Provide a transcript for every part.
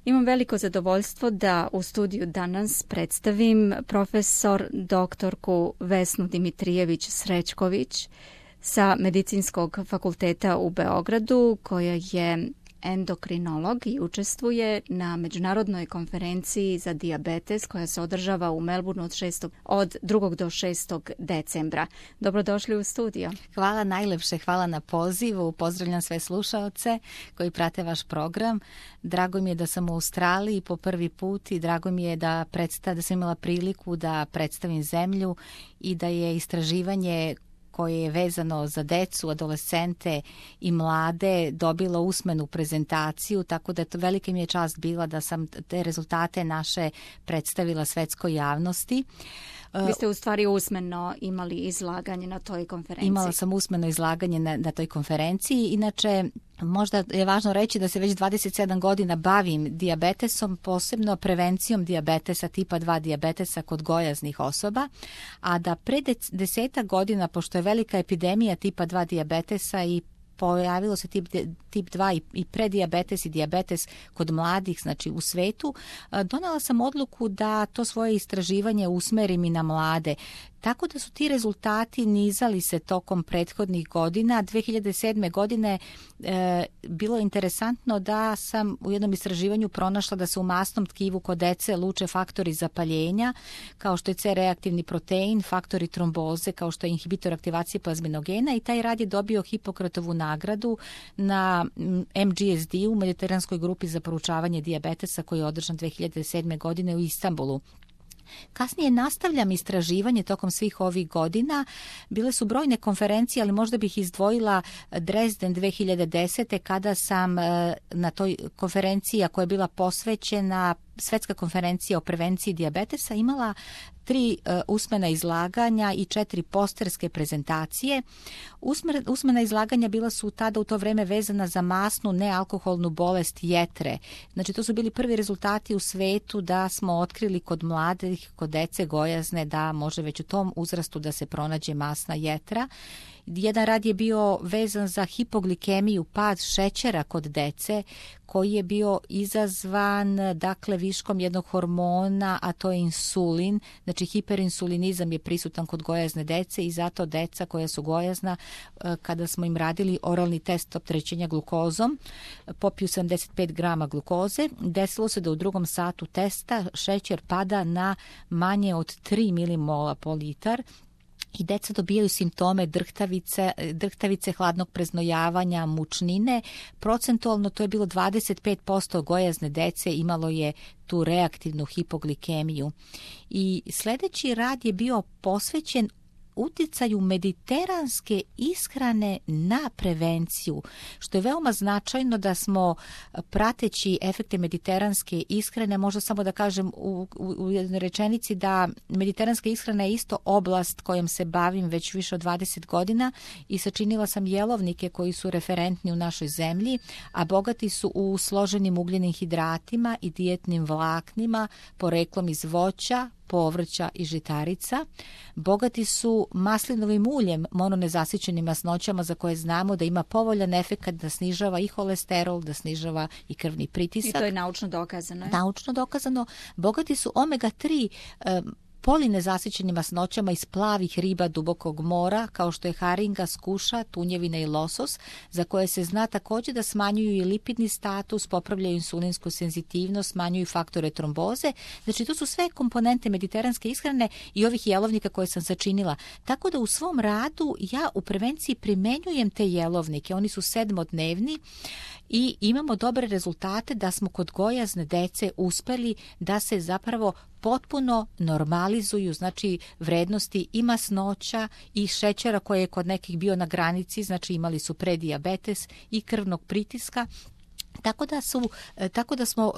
Imam veliko zadovoljstvo da u studiju danas predstavim profesor doktorku Vesnu Dimitrijević-Srećković sa Medicinskog fakulteta u Beogradu, koja je endokrinolog i učestvuje na međunarodnoj konferenciji za dijabetes koja se održava u Melbourneu od 2. do 6. decembra. Dobrodošli u studio. Hvala najlepše, hvala na pozivu. Pozdravljam sve slušaoce koji prate vaš program. Drago mi je da sam u Australiji po prvi put i drago mi je da sam imala priliku da predstavim zemlju i da je istraživanje koje je vezano za decu, adolescente i mlade dobilo usmenu prezentaciju, tako da to velika mi je čast bila da sam te rezultate naše predstavila svetskoj javnosti. Vi ste u stvari usmeno imali izlaganje na toj konferenciji. Imala sam usmeno izlaganje na toj konferenciji. Inače, možda je važno reći da se već 27 godina bavim dijabetesom, posebno prevencijom dijabetesa, tipa 2 dijabetesa kod gojaznih osoba, a da pre 10 godina, pošto je velika epidemija tipa 2 dijabetesa i pojavilo se tip 2 i predijabetes i dijabetes kod mladih, znači u svetu, donela sam odluku da to svoje istraživanje usmerim i na mlade. Tako da su ti rezultati nizali se tokom prethodnih godina. 2007. godine bilo je interesantno da sam u jednom istraživanju pronašla da se u masnom tkivu kod dece luče faktori zapaljenja, kao što je C-reaktivni protein, faktori tromboze, kao što je inhibitor aktivacije plazminogena, i taj rad je dobio Hipokratovu nagradu na MGSD u Mediteranskoj grupi za proučavanje dijabetesa koji je održan 2007. godine u Istanbulu. Kasnije nastavljam istraživanje tokom svih ovih godina. Bile su brojne konferencije, ali možda bih izdvojila Dresden 2010. kada sam na toj konferenciji koja je bila posvećena Svetska konferencija o prevenciji dijabetesa imala 3 usmena izlaganja i 4 posterske prezentacije. Usmena izlaganja bila su tada u to vreme vezana za masnu nealkoholnu bolest jetre. Znači to su bili prvi rezultati u svetu da smo otkrili kod mladih, kod dece gojazne, da može već u tom uzrastu da se pronađe masna jetra. Jedan rad je bio vezan za hipoglikemiju, pad šećera kod dece, koji je bio izazvan viškom jednog hormona, a to je insulin. Znači hiperinsulinizam je prisutan kod gojazne dece i zato deca koja su gojazna, kada smo im radili oralni test opterećenja glukozom, popiju 75 grama glukoze, desilo se da u 2. satu testa šećer pada na manje od 3 milimola po litar, i deca dobijaju simptome drhtavice, hladnog preznojavanja, mučnine. Procentualno to je bilo 25% gojazne dece imalo je tu reaktivnu hipoglikemiju. I sljedeći rad je bio posvećen uticaju mediteranske ishrane na prevenciju, što je veoma značajno da smo prateći efekte mediteranske ishrane, možda samo da kažem u jednoj rečenici da mediteranska ishrana je isto oblast kojom se bavim već više od 20 godina i sačinila sam jelovnike koji su referentni u našoj zemlji, a bogati su u složenim ugljenim hidratima i dijetnim vlaknima, poreklom iz voća, povrća i žitarica. Bogati su maslinovim uljem, mononezasićenim masnoćama za koje znamo da ima povoljan efekat da snižava i holesterol, da snižava i krvni pritisak. I to je naučno dokazano. Naučno dokazano. Bogati su omega-3 polinezasićenim masnoćama iz plavih riba dubokog mora, kao što je haringa, skuša, tunjevina i losos, za koje se zna također da smanjuju i lipidni status, popravljaju insulinsku senzitivnost, smanjuju faktore tromboze. Znači, to su sve komponente mediteranske ishrane i ovih jelovnika koje sam sačinila. Tako da u svom radu ja u prevenciji primenjujem te jelovnike. Oni su 7-dnevni i imamo dobre rezultate da smo kod gojazne dece uspeli da se zapravo potpuno normalizuju, znači vrednosti i masnoća i šećera koje je kod nekih bio na granici, znači imali su predijabetes i krvnog pritiska. Tako da smo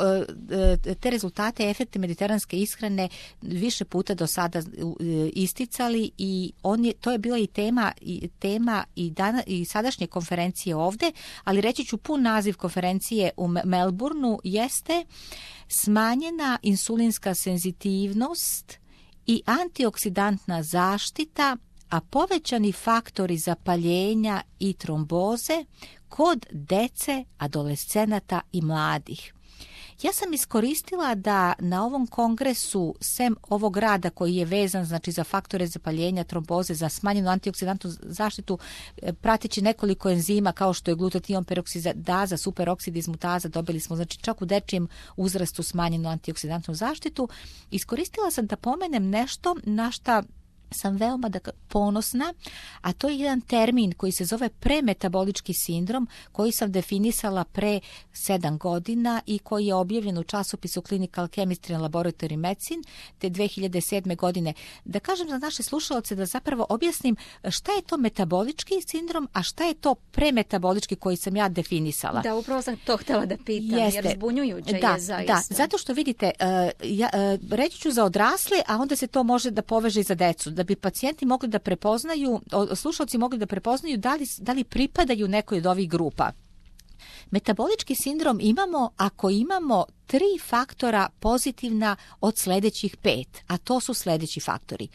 te rezultate, efekte mediteranske ishrane više puta do sada isticali i to je bila i tema i sadašnje konferencije ovde, ali reći ću pun naziv konferencije u Melbourneu jeste smanjena insulinska senzitivnost i antioksidantna zaštita, a povećani faktori zapaljenja i tromboze kod dece, adolescenata i mladih. Ja sam iskoristila da na ovom kongresu, sem ovog rada koji je vezan znači za faktore zapaljenja, tromboze, za smanjenu antioksidantnu zaštitu, prateći nekoliko enzima kao što je glutation peroksidaza, superoksidizmutaza, dobili smo znači čak u dečijem uzrastu smanjenu antioksidantnu zaštitu. Iskoristila sam da pomenem nešto na šta sam veoma ponosna, a to je jedan termin koji se zove premetabolički sindrom, koji sam definisala pre 7 godina i koji je objavljen u časopisu Clinical Chemistry and Laboratory Medicine te 2007. godine. Da kažem za naše slušalce, da zapravo objasnim šta je to metabolički sindrom, a šta je to premetabolički koji sam ja definisala. Da, upravo sam to htjela da pitam, jer zbunjujuće je zaista. Da, zato što vidite, reći ću za odrasle, a onda se to može da poveže i za decu. Da bi pacijenti mogli da prepoznaju, slušalci mogli da prepoznaju da li pripadaju nekoj od ovih grupa. Metabolički sindrom imamo ako imamo 3 faktora pozitivna od sljedećih 5, a to su sljedeći faktori.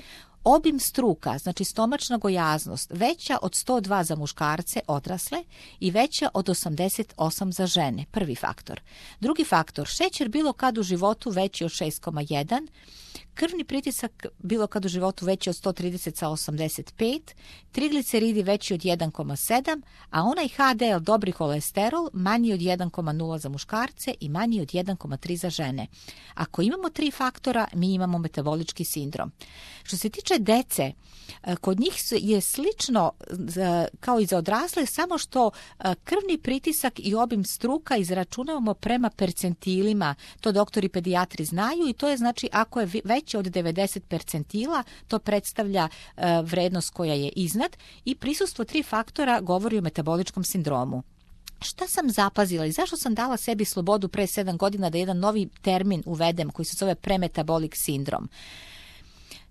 Obim struka, znači stomačna gojaznost, veća od 102 za muškarce odrasle i veća od 88 za žene, prvi faktor. Drugi faktor, šećer bilo kad u životu veći od 6,1, krvni pritisak bilo kad u životu veći od 130 sa 85, trigliceridi veći od 1,7, a onaj HDL, dobri holesterol, manji od 1,0 za muškarce i manji od 1,3 za žene. Ako imamo 3 faktora, mi imamo metabolički sindrom. Što se tiče dece, kod njih je slično kao i za odrasle, samo što krvni pritisak i obim struka izračunavamo prema percentilima. To doktori pedijatri znaju i to je znači ako je veće od 90 percentila, to predstavlja vrednost koja je iznad i prisustvo 3 faktora govori o metaboličkom sindromu. Šta sam zapazila i zašto sam dala sebi slobodu pre 7 godina da jedan novi termin uvedem koji se zove premetabolic sindrom?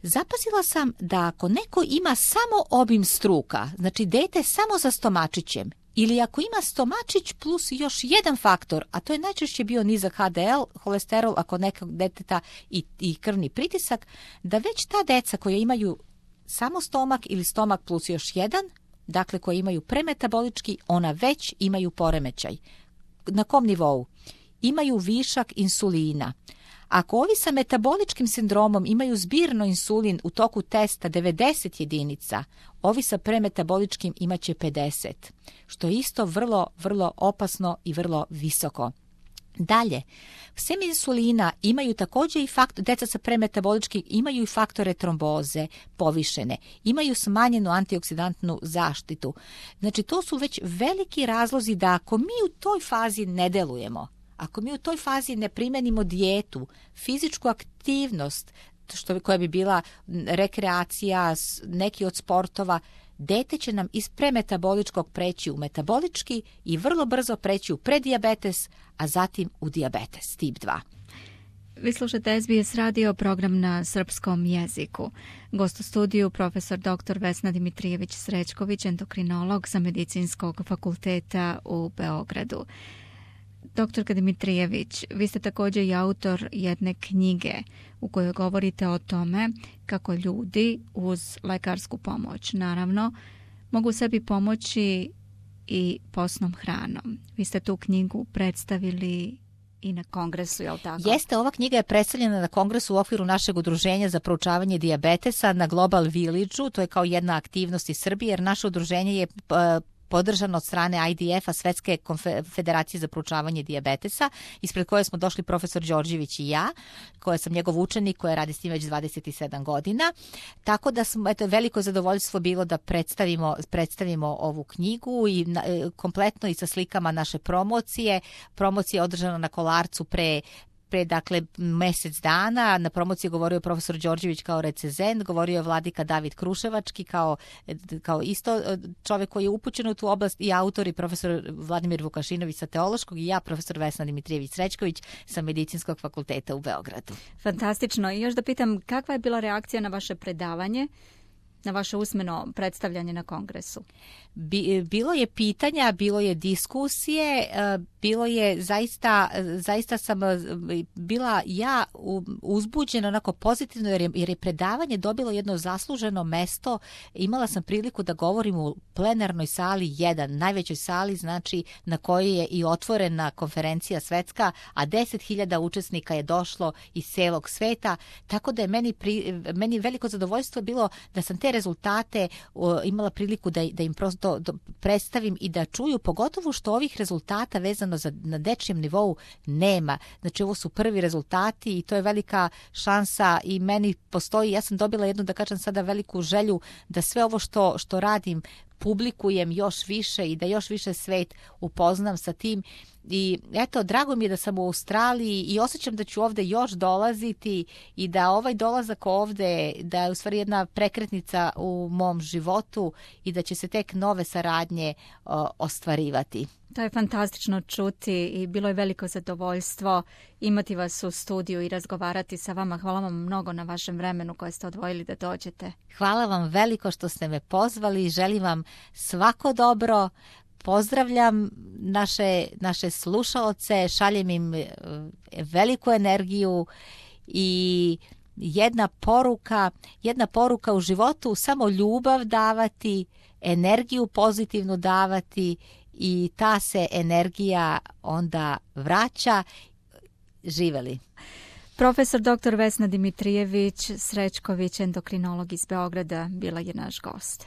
Zapazila sam da ako neko ima samo obim struka, znači dete samo za stomačićem, ili ako ima stomačić plus još jedan faktor, a to je najčešće bio nizak HDL, holesterol, ako nekog deteta i krvni pritisak, da već ta deca koja imaju samo stomak ili stomak plus još jedan, dakle koji imaju premetabolički, ona već imaju poremećaj. Na kom nivou? Imaju višak insulina. Ako ovi sa metaboličkim sindromom imaju zbirno insulin u toku testa 90 jedinica, ovi sa premetaboličkim imaće 50, što je isto vrlo, vrlo opasno i vrlo visoko. Dalje, sem insulina imaju također i deca sa premetaboličkim imaju i faktore tromboze povišene, imaju smanjenu antioksidantnu zaštitu. Znači to su već veliki razlozi da ako mi u toj fazi ne delujemo, ako mi u toj fazi ne primenimo dijetu, fizičku aktivnost, koja bi bila rekreacija, neki od sportova, dete će nam iz premetaboličkog preći u metabolički i vrlo brzo preći u predijabetes, a zatim u dijabetes tip 2. Vi slušate SBS radio, program na srpskom jeziku. Gost u studiju profesor dr. Vesna Dimitrijević-Srećković, endokrinolog sa Medicinskog fakulteta u Beogradu. Doktorka Dimitrijević, vi ste također i autor jedne knjige u kojoj govorite o tome kako ljudi uz lekarsku pomoć, naravno, mogu sebi pomoći i postnom hranom. Vi ste tu knjigu predstavili i na kongresu, je li tako? Jeste, ova knjiga je predstavljena na kongresu u okviru našeg udruženja za proučavanje dijabetesa na Global Village-u. To je kao jedna aktivnost iz Srbije, jer naše udruženje je podržano od strane IDF-a, Svetske federacije za proučavanje dijabetesa, ispred koje smo došli profesor Đorđević i ja, koja sam njegov učenik, koja radi s njim već 27 godina. Tako da smo, veliko zadovoljstvo bilo da predstavimo ovu knjigu i kompletno i sa slikama naše promocije. Promocija je održana na Kolarcu pre dakle mjesec dana. Na promociji je govorio profesor Đorđević kao recenzent, govorio je vladika David Kruševački kao isto čovjek koji je upućen u tu oblast i autor i profesor Vladimir Vukašinović sa teološkog i ja profesor Vesna Dimitrijević-Srećković sa Medicinskog fakulteta u Beogradu. Fantastično. I još da pitam, kakva je bila reakcija na vaše predavanje? na vaše usmeno predstavljanje na kongresu? Bilo je pitanja, bilo je diskusije, bilo je zaista sam bila ja uzbuđena onako pozitivno jer je predavanje dobilo jedno zasluženo mesto. Imala sam priliku da govorim u plenarnoj sali 1, najvećoj sali, znači na kojoj je i otvorena konferencija svetska, a 10.000 učesnika je došlo iz celog sveta, tako da je meni veliko zadovoljstvo bilo da sam te rezultate imala priliku da im prosto predstavim i da čuju, pogotovo što ovih rezultata vezano na dečijem nivou nema. Znači ovo su prvi rezultati i to je velika šansa i meni postoji, ja sam dobila jednu, da kažem sada, veliku želju da sve ovo što radim publikujem još više i da još više svet upoznam sa tim. I eto, drago mi je da sam u Australiji i osjećam da ću ovde još dolaziti i da ovaj dolazak ovde, da je u stvari jedna prekretnica u mom životu i da će se tek nove saradnje ostvarivati. To je fantastično čuti i bilo je veliko zadovoljstvo imati vas u studiju i razgovarati sa vama. Hvala vam mnogo na vašem vremenu koje ste odvojili da dođete. Hvala vam veliko što ste me pozvali. Želim vam svako dobro. Pozdravljam naše slušaoce, šaljem im veliku energiju i jedna poruka u životu, samo ljubav davati, energiju pozitivnu davati i ta se energija onda vraća. Živeli. Profesor dr. Vesna Dimitrijević Srećković, endokrinolog iz Beograda, bila je naš gost.